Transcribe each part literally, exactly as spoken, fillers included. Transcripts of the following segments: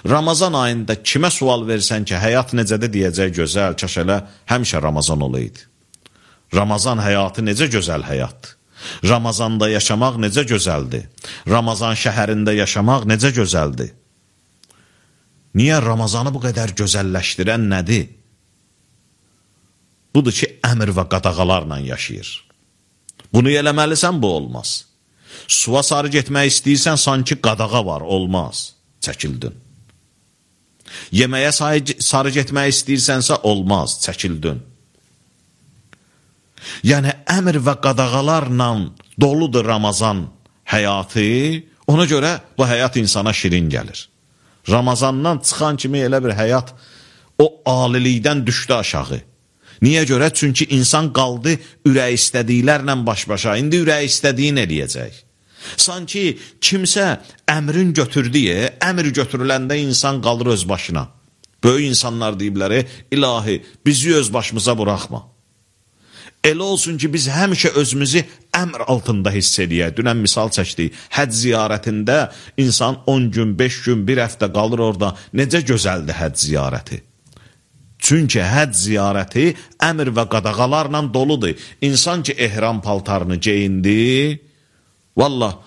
Ramazan ayında kimə sual versən ki, həyat necədir deyəcək, gözəl, kaş elə həmişə Ramazan olaydı. Ramazan həyatı necə gözəl həyatdır. Ramazanda yaşamaq necə gözəldir. Ramazan şəhərində yaşamaq necə gözəldir. Niyə Ramazanı bu qədər gözəlləşdirən nədir? Budur ki, əmr və qadağalarla yaşayır. Bunu eləməlisən, bu olmaz. Suya sarı getmək istəyirsən, sanki qadağa var, olmaz. Çəkildin. Yeməyə sarı getmək istəyirsənsə, olmaz, çəkildin. Yəni, əmr və qadağalarla doludur Ramazan həyatı, ona görə bu həyat insana şirin gəlir. Ramazandan çıxan kimi elə bir həyat o alilikdən düşdü aşağı. Niyə görə? Çünki insan qaldı ürək istədiklərlə baş-başa. İndi ürək istədiyin eləyəcək. Sanki kimsə əmrin götürdüyə, əmr götürüləndə insan qalır öz başına. Böyük insanlar deyibləri, ilahi, bizi öz başımıza buraxma. Elə olsun ki, biz həmişə özümüzü əmr altında hiss eləyək. Dünən misal çəkdik, həcc ziyarətində insan on gün, beş gün, bir həftə qalır orada. Necə gözəldir həcc ziyarəti? Çünki həcc ziyarəti əmr və qadağalarla doludur. İnsan ki, ehram paltarını geyindi, valla,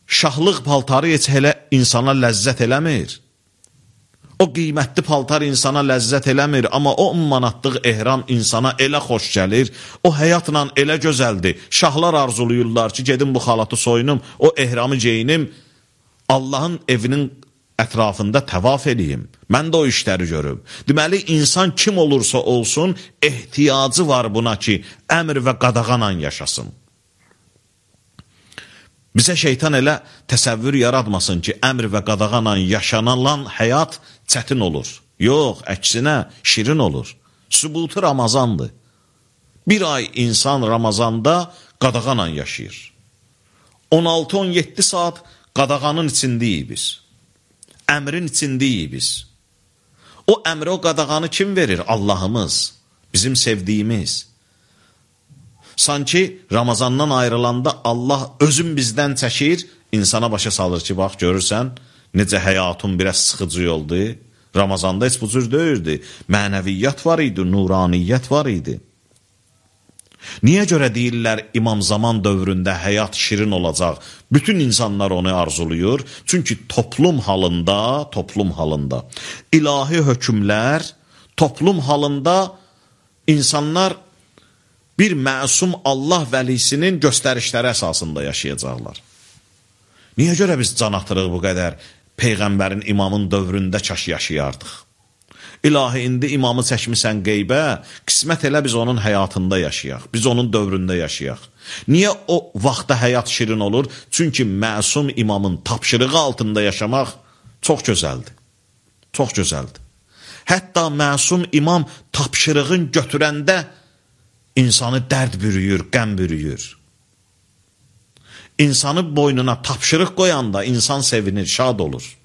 şahlıq paltarı heç elə insana ləzzət eləmir. O qiymətli paltar insana ləzzət eləmir, amma o on manatlıq ehram insana elə xoş gəlir, o həyatla elə gözəldir. Şahlar arzuluyurlar ki, gedim bu xalatı soyunum, o ehramı geyinim, Allahın evinin ətrafında təvaf eləyim. Mən də o işləri görüm. Deməli, insan kim olursa olsun, ehtiyacı var buna ki, əmr və qadağanla yaşasın. Bizə şeytan elə təsəvvür yaratmasın ki, əmr və qadağanla yaşanılan həyat çətin olur. Yox, əksinə şirin olur. Sübutu Ramazandır. Bir ay insan Ramazanda qadağanla yaşayır. on altı on yeddi saat qadağanın içindəyik biz. Əmrin içindəyik biz. O əmri, o qadağanı kim verir? Allahımız, bizim sevdiyimiz. Sanki Ramazandan ayrılanda Allah özün bizdən çəkir, insana başa salır ki, bax, görürsən, necə həyatın biraz sıxıcı yoldu. Ramazanda heç bu cür deyirdi. Mənəviyyat var idi, nuraniyyət var idi. Niyə görə deyirlər İmam Zaman dövründə həyat şirin olacaq? Bütün insanlar onu arzuluyur. Çünki toplum halında, toplum halında ilahi hökmlər, toplum halında insanlar bir məsum Allah vəlisinin göstərişləri əsasında yaşayacaqlar. Niyə görə biz can atırıq bu qədər Peyğəmbərin, imamın dövründə kaş yaşayardıq? İlahi, indi imamı çəkmisən qeybə, qismət elə biz onun həyatında yaşayaq, biz onun dövründə yaşayaq. Niyə o vaxtda həyat şirin olur? Çünki məsum imamın tapşırığı altında yaşamaq çox gözəldir. Çox gözəldir. Hətta məsum imam tapşırığın götürəndə insanı dərd bürüyür, qəm bürüyür. İnsanı boynuna tapşırıq qoyanda insan sevinir, şad olur.